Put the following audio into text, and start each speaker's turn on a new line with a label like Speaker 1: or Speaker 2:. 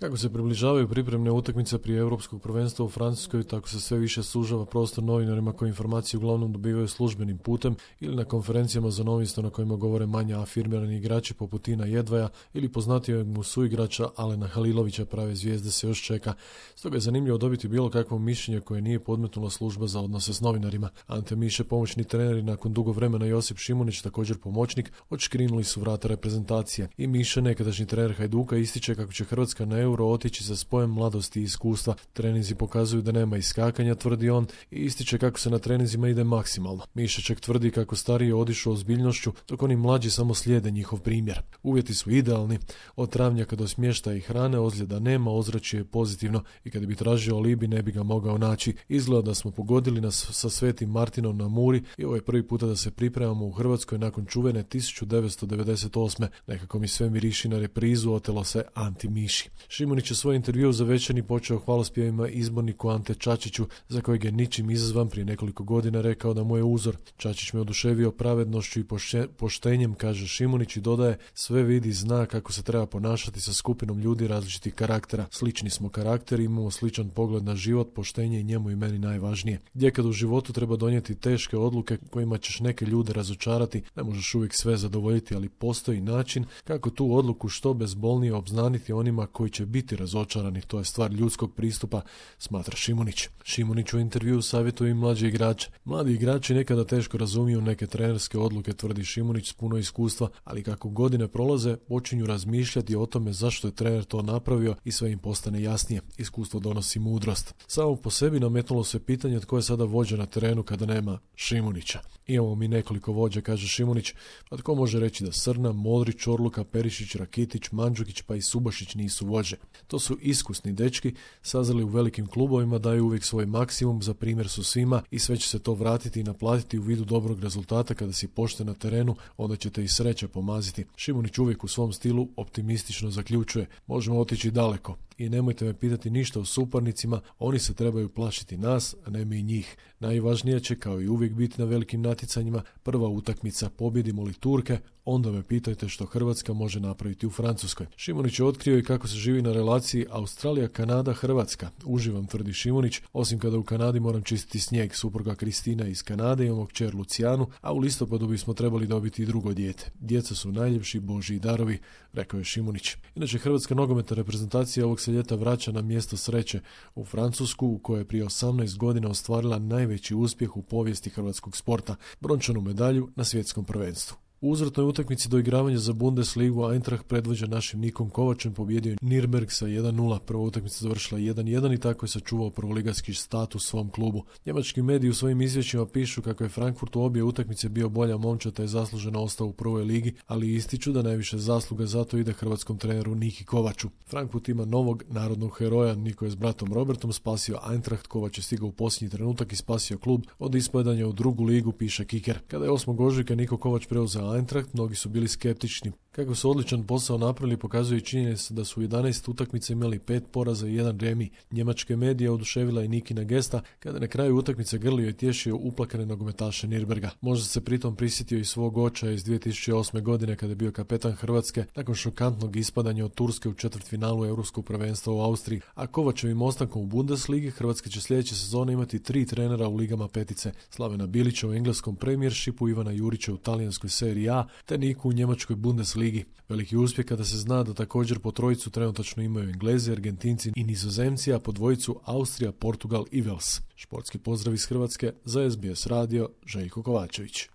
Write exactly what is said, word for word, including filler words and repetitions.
Speaker 1: Kako se približavaju pripremne utakmice prije Europskog prvenstva u Francuskoj, tako se sve više sužava prostor novinarima koji informacije uglavnom dobivaju službenim putem ili na konferencijama za novinstvo na kojima govore manje afirmirani igrači poput Tina Jedvaja ili poznatijeg mu suigrača Alena Halilovića. Prave zvijezde se još čeka. Stoga je zanimljivo dobiti bilo kakvo mišljenje koje nije podmetnula služba za odnose s novinarima. Ante Miše, pomoćni trener, i nakon dugo vremena Josip Šimunić, također pomoćnik, odškrinuli su vrata reprezentacije. I Miše, nekadašnji trener Hajduka, ističe kako će Hrvatska na Euro otići sa spojem mladosti i iskustva. Treninzi pokazuju da nema iskakanja, tvrdi on, i ističe kako se na treninzima ide maksimalno. Mišeček tvrdi kako stariji odišu ozbiljnošću, dok oni mlađi samo slijede njihov primjer. Uvjeti su idealni, od travnjaka do smještaja i hrane, ozljeda nema, ozračje je pozitivno i kad bi tražio alibi ne bi ga mogao naći. Izgleda da smo pogodili nas sa Svetim Martinom na Muri i ovo je prvi puta da se pripremamo u Hrvatskoj nakon čuvene tisuću devetsto devedeset osme. Nekako mi sve miriši na reprizu, otelo se Anti Miši. Šimunić je svoj intervju za Večernji počeo hvalospjevima izborniku Ante Čačiću, za kojeg je ničim izazvan prije nekoliko godina rekao da mu je uzor. Čačić me oduševio pravednošću i poštenjem, kaže Šimunić, i dodaje: sve vidi, zna kako se treba ponašati sa skupinom ljudi različitih karaktera. Slični smo karakteri, imamo sličan pogled na život, poštenje i njemu i meni najvažnije. Gdje kad u životu treba donijeti teške odluke kojima ćeš neke ljude razočarati, ne možeš uvijek sve zadovoljiti, ali postoji način kako tu odluku što bezbolnije obznaniti onima koji će biti razočarani. To je stvar ljudskog pristupa, smatra Šimunić. Šimunić u intervjuu savjetuje i mlađe igrače. Mladi igrači nekada teško razumiju neke trenerske odluke, tvrdi Šimunić s puno iskustva, ali kako godine prolaze počinju razmišljati o tome zašto je trener to napravio i sve im postane jasnije. Iskustvo donosi mudrost. Samo po sebi nametnulo se pitanje tko je sada vođa na terenu kada nema Šimunića. Imamo mi nekoliko vođa, kaže Šimunić, pa tko može reći da Srna, Modrić, Orluka, Perišić, Rakitić, Mandžukić pa i Subašić nisu vođe. To su iskusni dečki, sazreli u velikim klubovima, daju uvijek svoj maksimum, za primjer su svima i sve će se to vratiti i naplatiti u vidu dobrog rezultata. Kada si pošten na terenu, onda ćete i sreća pomaziti. Šimunić uvijek u svom stilu optimistično zaključuje: možemo otići daleko. I nemojte me pitati ništa o suparnicima, oni se trebaju plašiti nas, a ne mi njih. Najvažnije će, kao i uvijek, biti na velikim natjecanjima prva utakmica. Pobjedimo li Turke, onda me pitajte što Hrvatska može napraviti u Francuskoj. Šimunić je otkrio i kako se živi na relaciji Australija-Kanada-Hrvatska. Uživam, tvrdi Šimunić, osim kada u Kanadi moram čistiti snijeg. Supruga Kristina iz Kanade, imamo kćer Lucijanu, a u listopadu bismo trebali dobiti i drugo dijete. Djeca su najljepši božji darovi, rekao je Šimunić. Inače, hrvatska nogometna reprezentacija ovog se ljeta vraća na mjesto sreće u Francusku, u kojoj je prije osamnaest godina ostvarila najveći uspjeh u povijesti hrvatskog sporta, brončanu medalju na svjetskom prvenstvu. U uzvratnoj utakmici doigravanja za Bundesligu Eintracht predvođen našim Nikom Kovačem pobjedio Nürnberg sa jedan nula. Prva utakmica završila jedan jedan i tako je sačuvao prvoligatski status svom klubu. Njemački mediji u svojim izvješćima pišu kako je Frankfurt u obje utakmice bio bolja momčad te je zasluženo ostao u prvoj ligi, ali ističu da najviše zasluga zato ide hrvatskom treneru Niki Kovaču. Frankfurt ima novog narodnog heroja. Niko je s bratom Robertom spasio Eintracht, Kovač je stigao u posljednji trenutak i spasio klub od ispadanja u drugu ligu, piše Kicker. Kada je osmog ožujka Niko Kovač preuzeo Eintracht, mnogi su bili skeptični. Kako su odličan posao napravili pokazuje i činjenica da su u jedanaest utakmica imali pet poraza i jedan remi. Njemačke medije oduševila i Nikina gesta kada na kraju utakmice grlio i tješio uplakane nogometaše Nürnberga. Možda se pritom prisjetio i svog očaja iz dvije tisuće osme. godine kada je bio kapetan Hrvatske nakon šokantnog ispadanja od Turske u četvrtfinalu Europskog prvenstva u Austriji. A Kovačevim ostankom u Bundesligi Hrvatska će sljedeće sezone imati tri trenera u ligama petice: Slavena Bilića u engleskom Premiershipu, Ivana Jurića u talijanskoj seriji A te Niku u njemačkoj Bundesligi. Veliki uspjeh kada se zna da također po trojicu trenutačno imaju Englezi, Argentinci i Nizozemci, a po dvojicu Austrija, Portugal i Wales. Športski pozdrav iz Hrvatske za S B S radio, Željko Kovačević.